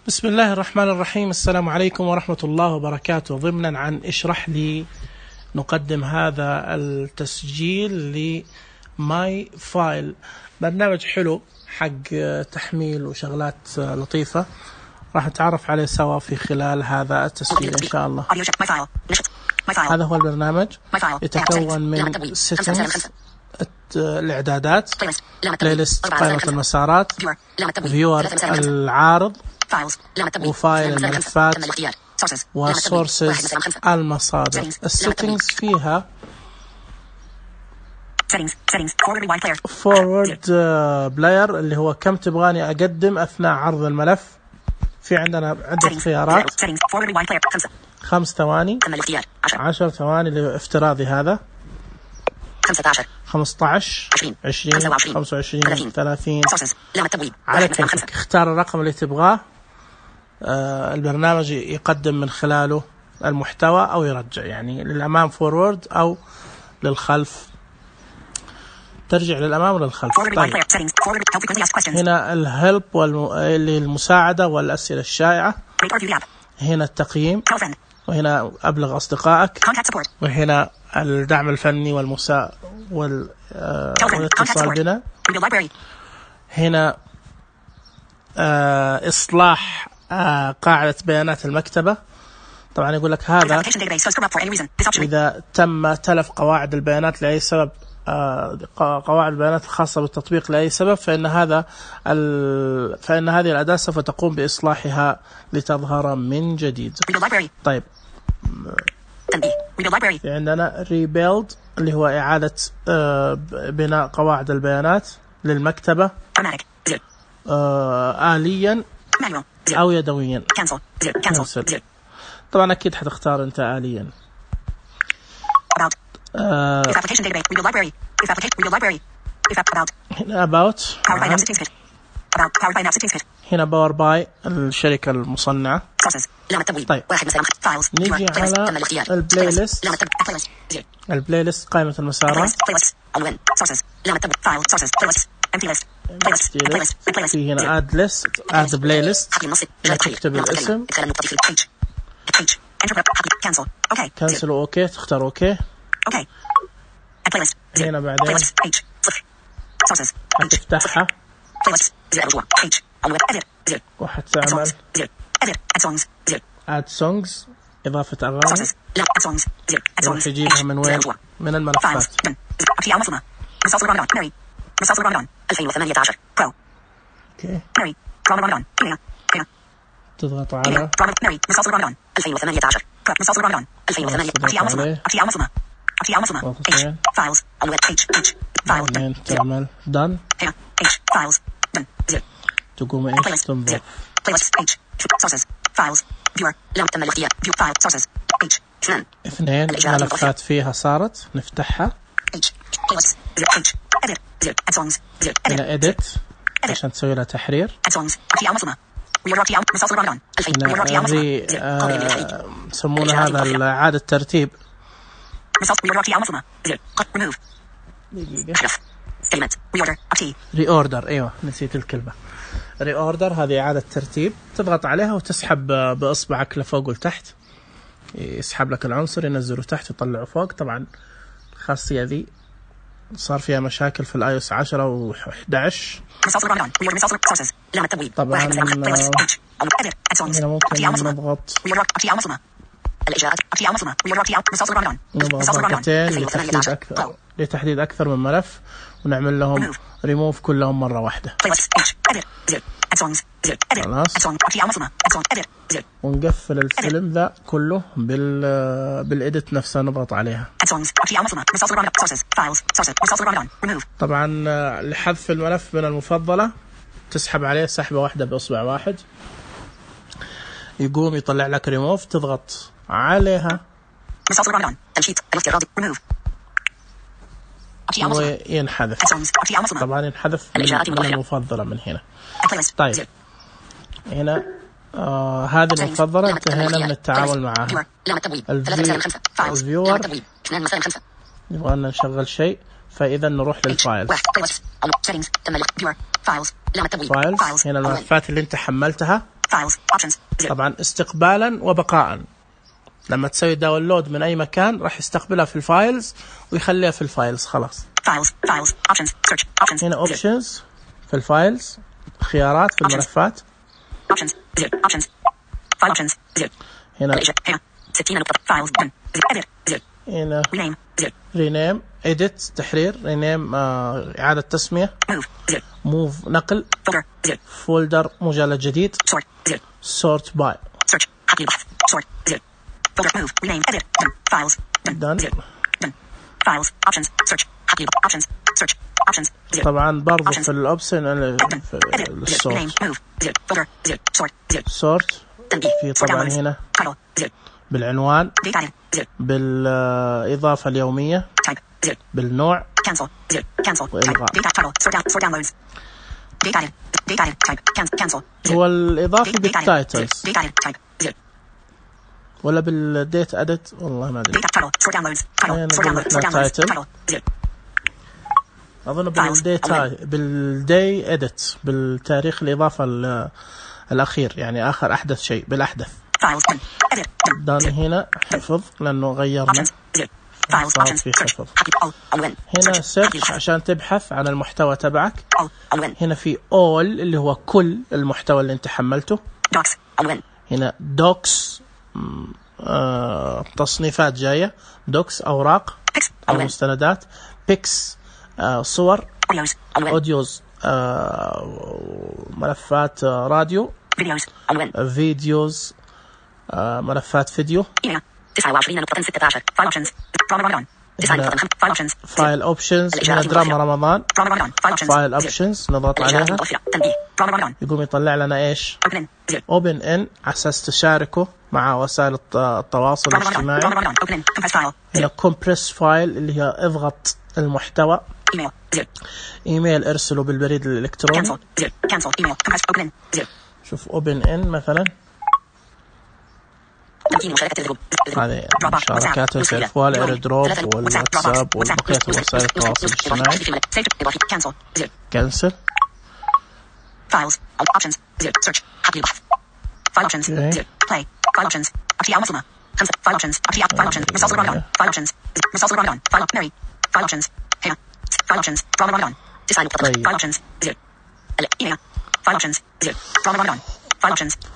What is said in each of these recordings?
بسم الله الرحمن الرحيم. السلام عليكم ورحمة الله وبركاته. ضمنا عن اشرح لي نقدم هذا التسجيل لماي فايل، برنامج حلو حق تحميل وشغلات لطيفة، راح نتعرف عليه سوا في خلال هذا التسجيل إن شاء الله. هذا هو البرنامج، يتكون من settings الإعدادات، بلايلست قائمة المسارات، فيور العارض، وفايل الملفات، وسورسز المصادر. السيتنجز فيها فورورد بلاير اللي هو كم تبغاني أقدم أثناء عرض الملف. في عندنا عدة خيارات، 5 ثواني، 10 ثواني اللي هو افتراضي، هذا 15 20 25 30. على كيفك اختار الرقم اللي تبغاه. البرنامج يقدم من خلاله المحتوى أو يرجع، يعني للأمام فورورد أو للخلف ترجع للأمام وللخلف. طيب. هنا الهلب اللي المساعدة والأسئلة الشائعة، هنا التقييم، وهنا أبلغ أصدقائك، وهنا الدعم الفني والاتصال بنا. هنا إصلاح قاعدة بيانات المكتبة. طبعا يقول لك هذا إذا تم تلف قواعد البيانات لأي سبب، قواعد البيانات الخاصة بالتطبيق لأي سبب، فإن هذه الأداة سوف تقوم بإصلاحها لتظهر من جديد. طيب، في عندنا rebuild اللي هو إعادة بناء قواعد البيانات للمكتبة آليا أو يدويا. cancel. طبعا أكيد حتختار أنت آليا. هنا about، هنا باور باي الشركة المصنعة. طيب، نيجي على البلايلست قائمة المسارات. في هنا add playlist، تكتب الاسم، cancel اوكي، تختار اوكي. هنا بعدين هتفتحها وحتعمل add songs، إضافة أغاني، راح يجيبها من وين؟ من الملفات. اوكي، تضغط على بعدين تعمل done، تقوم ايش تنظر. اثنين ملفات فيها صارت، نفتحها. هنا edit عشان تسوي لها تحرير. يسمونه هذا إعادة ترتيب. reorder، ايوه نسيت الكلمة. reorder هذه إعادة ترتيب، تضغط عليها وتسحب بإصبعك لفوق ولتحت، يسحب لك العنصر ينزله تحت ويطلعه فوق. طبعا الخاصية ذي صار فيها مشاكل في iOS 10 و11. طبعا هنا ممكن نضغط ضغطتين لتحديد أكثر من ملف، ونعمل لهم ريموف كلهم مرة واحدة. خلاص، ونقفل الفيلم ذا كله بالإديت نفسها، نضغط عليها. طبعا لحذف الملف من المفضلة تسحب عليه سحبة واحدة بإصبع واحد، يقوم يطلع لك ريموف، تضغط عليها وينحذف. طبعا ينحذف من المفضلة من هنا. طيب، هنا هذه المفضلة انتهينا من التعامل معها. الفيور نبغى نشغل شيء، فإذا نروح للفايل. فايلز هنا الملفات اللي انت حملتها طبعا استقبالا وبقاء. لما تسوي داونلود من أي مكان راح يستقبلها في الفايلز ويخليها في الفايلز خلاص. هنا options في الفايلز، خيارات في الملفات. هنا rename edit تحرير، rename إعادة تسمية، move نقل، folder مجلد جديد، sort by طبعا برضو في الأوبشن sort في طبعا هنا بالعنوان، بالإضافة اليومية، بالنوع، وإلغاء. هو الإضافة بالتايتلز ولا بالديت أدت؟ والله ما أدري. أظن بالدي أدت، بالتاريخ الإضافة الأخير، يعني آخر أحدث شيء بالأحدث. دان هنا حفظ لأنه غيرنا، في حفظ. هنا سيرش عشان تبحث عن المحتوى تبعك. هنا في all اللي هو كل المحتوى اللي انت حملته. هنا دوكس تصنيفات جاية، دوكس أوراق أو مستندات، بيكس صور، أوديوز ملفات راديو، فيديوز ملفات فيديو. 29.16 فايل اوبشنز، هنا دراما رمضان، فايل اوبشنز نضغط عليها يقوم يطلع لنا ايش؟ اوبن ان على اساس تشاركه مع وسائل التواصل الاجتماعي. هنا كومبريس فايل اللي هي اضغط المحتوى، ايميل ارسله بالبريد الالكتروني. شوف اوبن ان مثلا، هذه مشاركات الفوال، ايردروب والواتساب وبقية وسائل التواصل الاجتماعي. كنسل.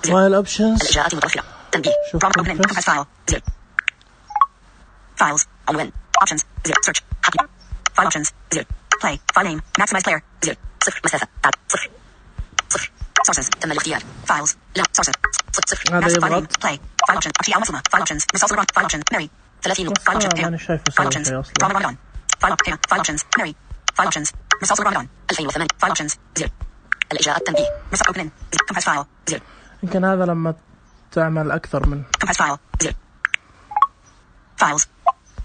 فايل اوبشنز، شوف فايلز عنوان اوبشنز سيرش فايل اوبشنز بلاي فايل نيم ماكسمايز بلاير 0 مسافه 0 سورسز تم الاختيار فايلز لا سورسز 0 هذا يضغط بلاي فايل اوبشن اشياء مصممه فايل اوبشنز مسلسل فايل اوبشن ماري 30 فايل اوبشن انا شايفه فايل اوبشنز رمضان فايل اوبشنز ماري فايل اوبشنز مسلسل رمضان 2008 فايل اوبشنز الاجراءات التنبيه مسح اوبن كمبريس فايل يمكن هذا لما تعمل أكثر من فايلز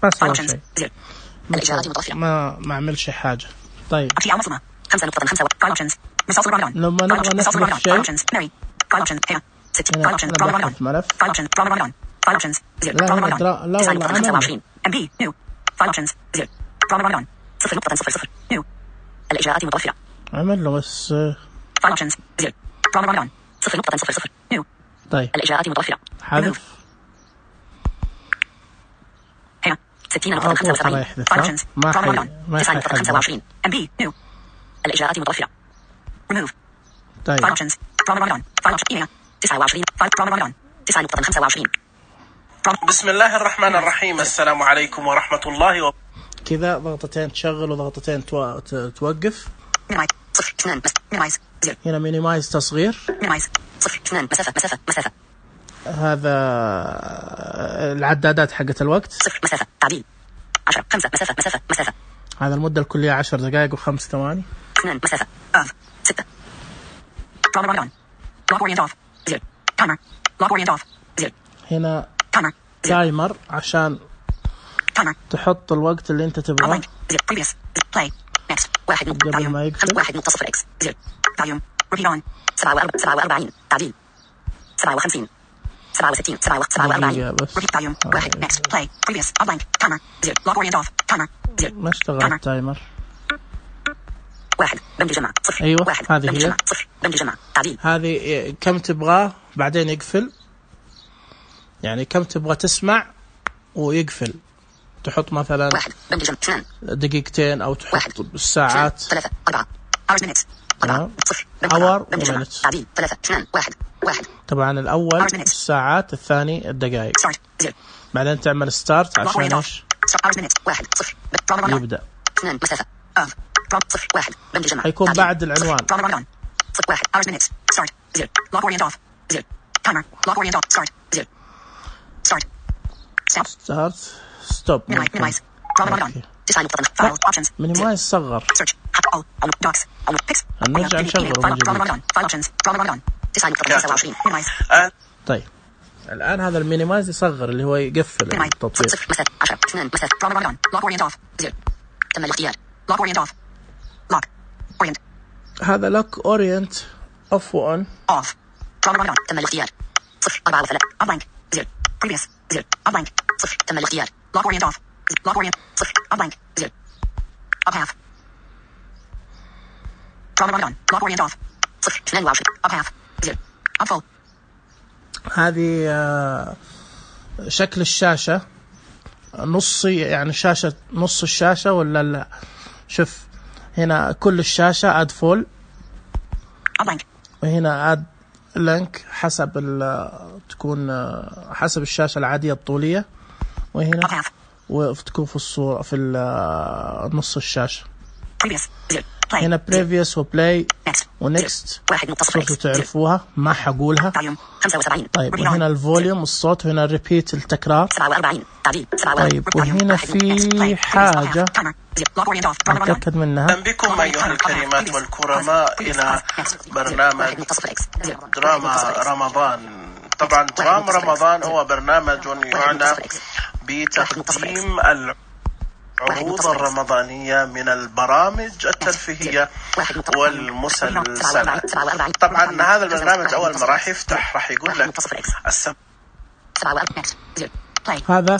بس أول شيء ما أعملش حاجة. طيب لما نبغى نحذف شيء نحذف ملف، لا والله عمل له بس طيب الإجراءات متوفرة حذف هنا 60.75 ما حي 29 MB نيو الإجراءات متوفرة remove طيب فايل اوبشنز رمضان فايل اوبشن 29 فايل رمضان 9.25 بسم الله الرحمن الرحيم. السلام عليكم ورحمة الله كذا ضغطتين تشغل وضغطتين توقف. هنا مينيمايز تصغير، مسافة هذا العدادات حقت الوقت 0 مسافة تعديل 10 5 مسافة هذا المدة الكلية 10 دقائق و5 ثواني 2 مسافة 6 هنا تايمر عشان تحط الوقت اللي انت تبغاه قبل ما يقفل. 47 تعديل 57 67 47 1 next play previous outline timer 0 log orient off timer 0 ما اشتغل التايمر 1 بند جمع 0 أيوة 1 هذه بند هي. جمع 0 بند جمع تعديل. هذه كم تبغاه بعدين يقفل، يعني كم تبغى تسمع ويقفل. تحط مثلا 1 بند جمع 2 دقيقتين أو تحط الساعات 3 4 hours minutes 4 0 hour بند جمع minutes. تعديل 3 2 1 1 طبعا الأول الساعات، الثاني الدقائق. بعدين تعمل ستارت عشان ايش يبدأ. حيكون بعد العنوان. ستارت ستوب. مينيمايز صغر. نرجع نشغله من جديد. طيب الآن هذا المينيمايز يصغر اللي هو يقفل التطبيق. هذا لوك اورينت اوف وان اوف. تم الاختيار 0 4 3 بلانك 0 previous 0 بلانك 0 تم الاختيار لوك اورينت اوف لوك اورينت 0 بلانك 0 اب هاف لوك اورينت اوف 0 22 اب هاف 0 اب فول. هذه شكل الشاشة نصي، يعني شاشة نص الشاشة ولا لا؟ شوف هنا كل الشاشة اد فول، وهنا اد لينك حسب تكون حسب الشاشة العادية الطولية، وهنا وتكون في الصورة في نص الشاشة. هنا previous وبلاي ونكست صرتوا تعرفوها ما حقولها. طيب وهنا الفوليوم الصوت، وهنا الريبيت التكرار. طيب وهنا في حاجة نتأكد منها. أهلا بكم أيها الكريمات والكرماء إلى برنامج دراما رمضان. طبعا دراما رمضان هو برنامج يعنى بتقديم العروض الرمضانية من البرامج الترفيهية والمسلسلات. طبعا هذا البرنامج أول ما راح يفتح راح يقول لك هذا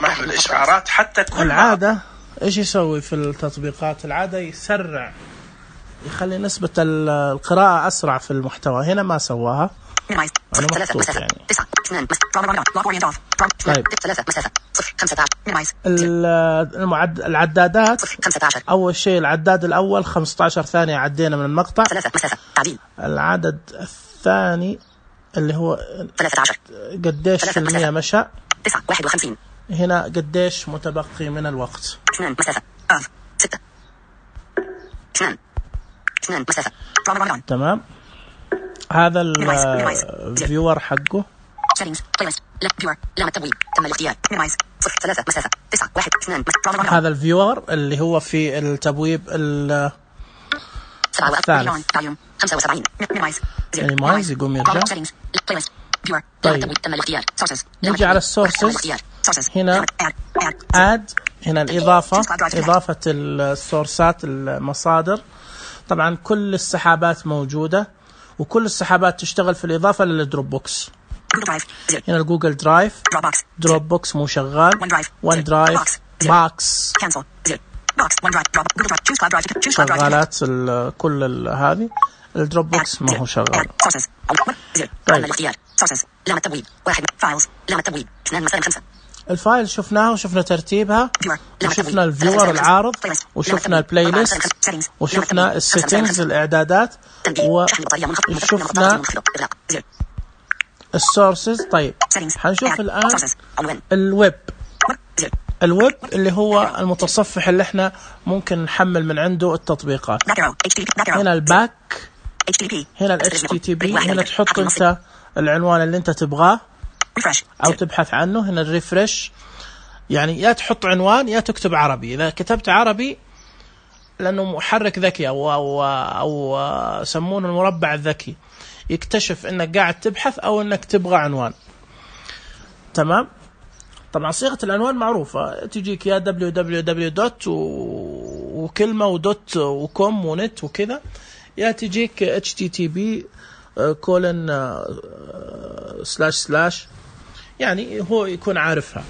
مع الإشعارات. حتى كل العادة إيش يسوي في التطبيقات؟ العادة يسرع، يخلي نسبة القراءة أسرع في المحتوى. هنا ما سواها، أنا مبسوط يعني. طيب العدادات، أول شيء العداد الأول 15 ثانية عدينا من المقطع. العدد الثاني اللي هو قديش في المية مشى. هنا قديش متبقي من الوقت. تمام. هذا الفيور حقه. هذا الفيور اللي هو في التبويب الثالث. مينيمايز يقوم يرجع. طيب نجي على السورسز. هنا اد، هنا الإضافة، إضافة السورسات المصادر. طبعا كل السحابات موجودة، وكل السحابات تشتغل في الإضافة للدروب بوكس. هنا الجوجل درايف، دروب بوكس مو شغال، ون درايف، باكس شغالات كل هذه. الدروب بوكس ما هو شغال. طيب الفايل شفناها وشفنا ترتيبها، وشفنا الفيور العارض، وشفنا البلاي ليست، وشفنا السيتنجز الإعدادات، وشفنا السورسز. طيب حنشوف الآن الويب. الويب اللي هو المتصفح اللي احنا ممكن نحمل من عنده التطبيقات. هنا الباك، هنا ال HTTP. هنا تحط انت العنوان اللي انت تبغاه او تبحث عنه. هنا الريفرش، يعني يا تحط عنوان يا تكتب عربي. اذا كتبت عربي لانه محرك ذكي او يسمونه المربع الذكي، يكتشف انك قاعد تبحث او انك تبغى عنوان. تمام. طبعا صيغة العنوان معروفة، تجيك يا www وكلمة ودوت وكوم ونت وكذا، يا تجيك HTTP : // يعني هو يكون عارفها.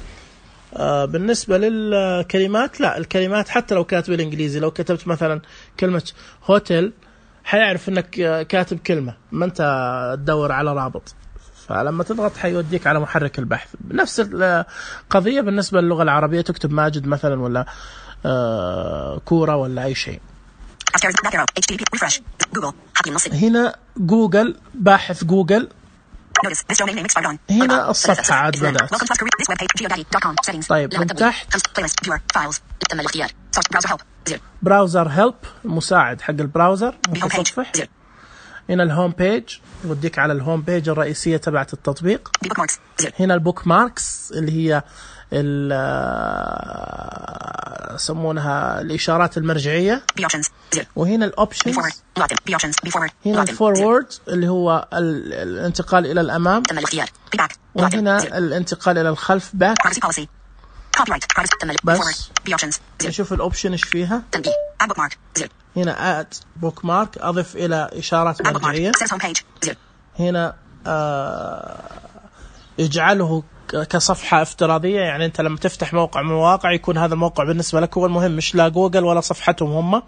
بالنسبة للكلمات لا، الكلمات حتى لو كانت بالإنجليزي لو كتبت مثلا كلمة هوتيل حيعرف إنك كاتب كلمة، ما أنت تدور على رابط، فلما تضغط حيوديك على محرك البحث. نفس القضية بالنسبة للغة العربية، تكتب ماجد مثلا ولا كورة ولا أي شيء. هنا جوجل، باحث جوجل، هنا الصفحة عاد بدأت. طيب من تحت براوزر هيلب، مساعد حق البراوزر متصفح. هنا الهوم بيج يوديك على الهوم بيج الرئيسية تبعت التطبيق. هنا البوك ماركس اللي هي يسمونها الإشارات المرجعية. وهنا الأوبشنز، هنا الفورورد اللي هو الانتقال إلى الأمام، وهنا الانتقال إلى الخلف باك. بس نشوف الأوبشن إيش فيها. هنا add bookmark، أضف إلى إشارات مرجعية. هنا اجعله كصفحة افتراضية، يعني أنت لما تفتح موقع من المواقع يكون هذا الموقع بالنسبة لك هو المهم، مش لا جوجل ولا صفحتهم هم،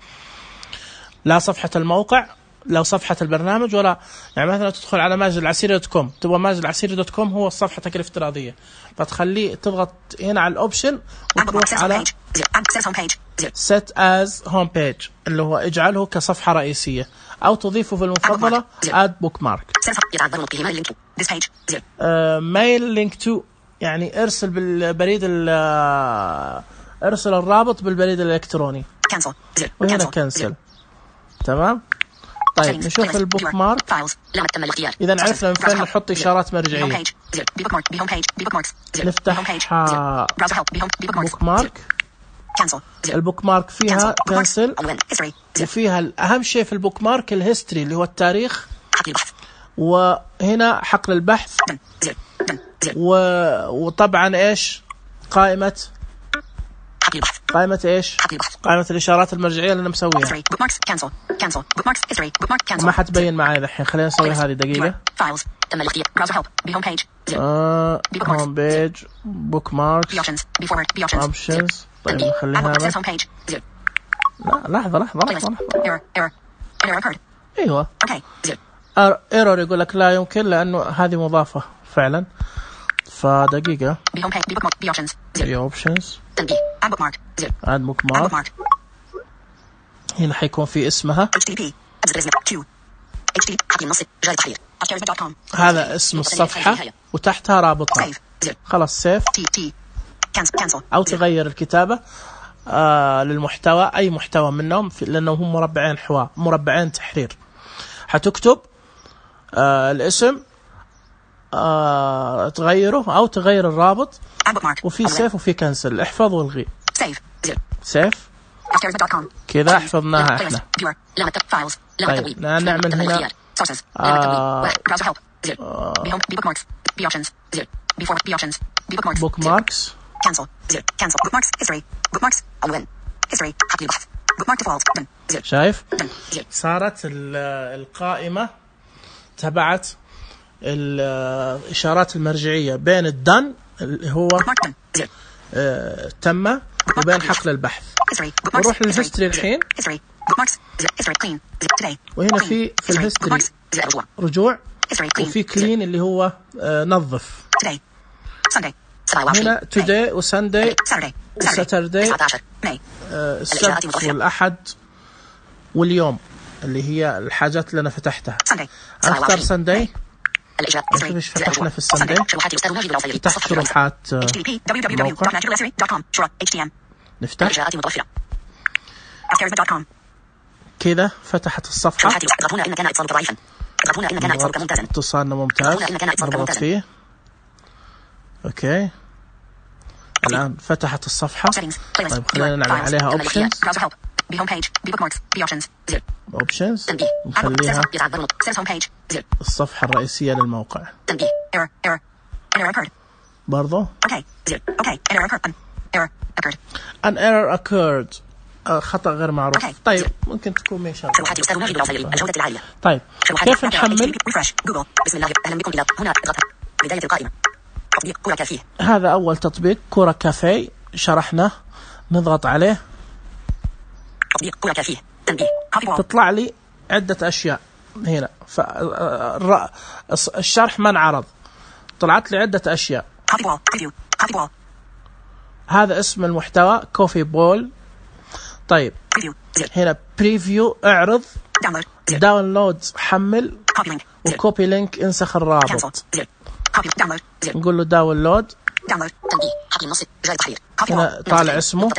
لا صفحة الموقع لا صفحة البرنامج ولا، يعني مثلا تدخل على ماجدالعسيري.com، تبغى ماجدالعسيري.com هو صفحتك الافتراضية، فتخليه تضغط هنا على الأوبشن وتروح على set as home page اللي هو اجعله كصفحة رئيسية، أو تضيفه في المفضلة add bookmark. mail link to يعني ارسل بالبريد ارسل الرابط بالبريد الإلكتروني. وهنا cancel. تمام. طيب نشوف البوك مارك. إذا عرفنا من فين نحط إشارات مرجعية. نفتح بوك مارك. البوك مارك فيها كانسل، وفيها أهم شيء في البوك مارك الهيستوري اللي هو التاريخ، وهنا حقل البحث، وطبعا إيش قائمة إيش قائمة الإشارات المرجعية اللي أنا مسويها. ما حتبين معي الحين، خلينا نسوي هذه دقيقة. هوم بيج، بوك ماركس، اوبشنز. طيب نخليها لا لحظة. ايوه ايرور يقول لك لا يمكن لأنه هذه مضافة فعلا، فدقيقة. اوبشنز add bookmark. هنا حيكون في اسمها، هذا اسم الصفحة وتحتها رابطها. خلاص سيف، أو تغير الكتابة للمحتوى، أي محتوى منهم لأنه هم مربعين تحرير. حتكتب الاسم تغيره أو تغير الرابط، وفي سيف وفي كنسل. احفظ والغي. سيف كذا حفظناها احنا. طيب نعمل هنا بوك ماركس. شايف صارت القائمة تبعت الإشارات المرجعية بين الدن اللي هو تم وبين حقل البحث. نروح للهيستوري الحين، وهنا في الهيستوري رجوع، وفي كلين اللي هو نظف. هنا today وسانداي وساترداي، السبت والأحد واليوم اللي هي الحاجات اللي أنا فتحتها. أختار سانداي. مش فتحنا في السانداي، فتحت شروحات موقع. نفتح كذا، فتحت الصفحة. اتصالنا ممتاز، نضغط فيه. اوكي الآن فتحت الصفحة. طيب خلينا نعمل عليها اوبشنز نخليها الصفحة الرئيسية للموقع برضو. an error occurred، خطأ غير معروف. طيب ممكن تكون ميشا. طيب كيف نحمل؟ بسم الله، أهلا بكم إلى هنا. بداية القائمة. تطبيق كورة كافيه. هذا أول تطبيق كورة كافيه شرحناه. نضغط عليه. تطبيق كورة كافيه. تنبيه. تطلع لي عدة أشياء هنا. الشرح ما انعرض. طلعت لي عدة أشياء. هذا اسم المحتوى كوفي بول. طيب هنا بريفيو اعرض، داونلود حمل، وكوبي لينك انسخ الرابط. نقول له داونلود. هنا طالع اسمه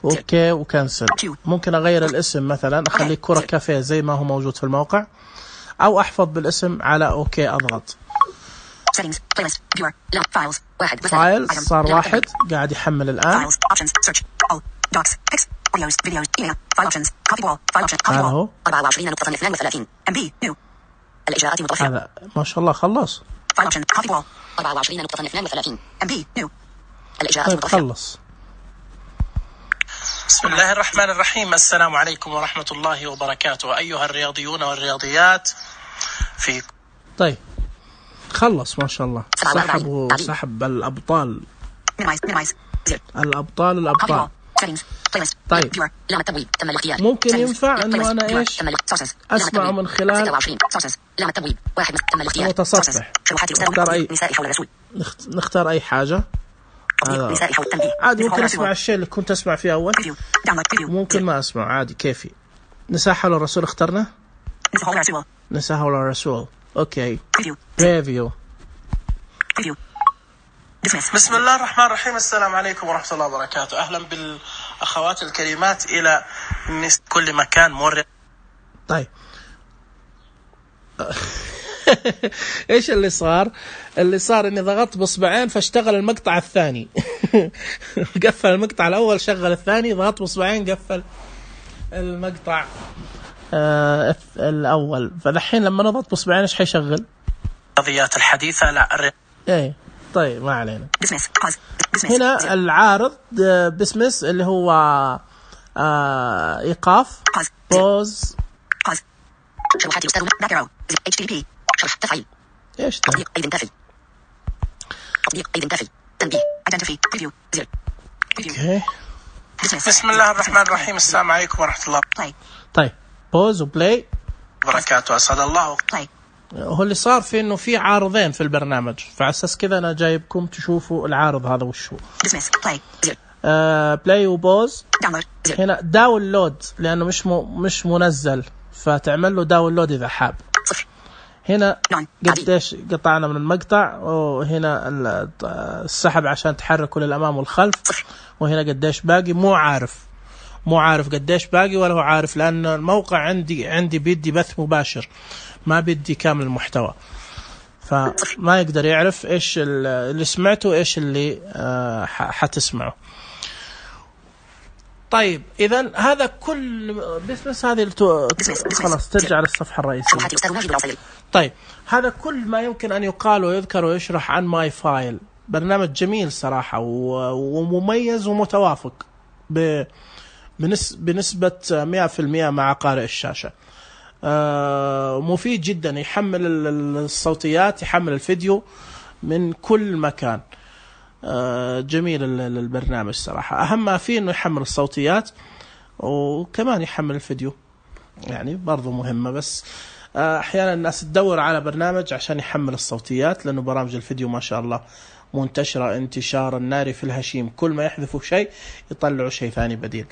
اوكي وكنسل. ممكن اغير الاسم مثلا اخليه كرة كافيه زي ما هو موجود في الموقع، او احفظ بالاسم على اوكي اضغط. فايلز صار واحد قاعد يحمل الان. هذا هو. هذا ما شاء الله خلص. طيب خلص. بسم الله الرحمن الرحيم. السلام عليكم ورحمة الله وبركاته أيها الرياضيون والرياضيات. في طيب خلص ما شاء الله. سحب الأبطال. الأبطال. طيب ممكن ينفع انه انا ايش اسمع من خلال متصفح. نختار اي حاجة. عادي ممكن اسمع الشيء اللي كنت اسمع فيه اول، ممكن ما اسمع عادي كيفي. نساء حول الرسول اخترنا. نساء حول الرسول. اوكي. ريفيو. بسم الله الرحمن الرحيم. السلام عليكم ورحمة الله وبركاته. أهلا بالأخوات الكريمات إلى كل مكان مر. طيب إيش اللي صار؟ اللي صار إني ضغطت بصبعين فاشتغل المقطع الثاني. قفل المقطع الأول شغل الثاني، ضغطت بصبعين قفل المقطع الأول. فدحين لما نضغط بصبعين إيش حيشغل؟ الرياضيات الحديثة. لا إيه طيب ما علينا. هنا العارض بسمس اللي هو إيقاف. بوز. شروحات يستخدم باك HTTP شرح تفعيل. إيش تطبيق أيضا تفعيل. تطبيق أيضا تفعيل. تنبيه Identify Preview زر. أوكي. بسم الله الرحمن الرحيم. السلام عليكم ورحمة الله. طيب بوز وبلاي بركاته. أسعد الله. هو اللي صار في انه في عارضين في البرنامج، فعساس كذا انا جايبكم تشوفوا العارض هذا وش هو. بلاي وبوز. هنا داونلود لانه مش منزل، فتعمل له داونلود اذا حاب. هنا قديش قطعنا من المقطع، وهنا السحب عشان تحركه للامام والخلف، وهنا قديش باقي. مو عارف قديش باقي ولا هو عارف، لان الموقع عندي بيدي بث مباشر، ما بدي كامل المحتوى، فما يقدر يعرف ايش اللي سمعته ايش اللي حتسمعه. طيب اذا هذا كل بس هذه خلاص ترجع للصفحة الرئيسية. طيب هذا كل ما يمكن ان يقال ويذكر ويشرح عن ماي فايل. برنامج جميل صراحة ومميز ومتوافق بنسبة 100% مع قارئ الشاشة. مفيد جدا. يحمل الصوتيات، يحمل الفيديو من كل مكان. جميل البرنامج صراحة. أهم ما فيه إنه يحمل الصوتيات وكمان يحمل الفيديو، يعني برضو مهمة. بس أحيانا الناس تدور على برنامج عشان يحمل الصوتيات، لأنه برامج الفيديو ما شاء الله منتشرة انتشار النار في الهشيم، كل ما يحذفوا شيء يطلعوا شيء ثاني بديل.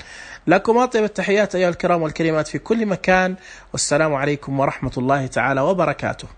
لكم أطيب التحيات أيها الكرام والكريمات في كل مكان، والسلام عليكم ورحمة الله تعالى وبركاته.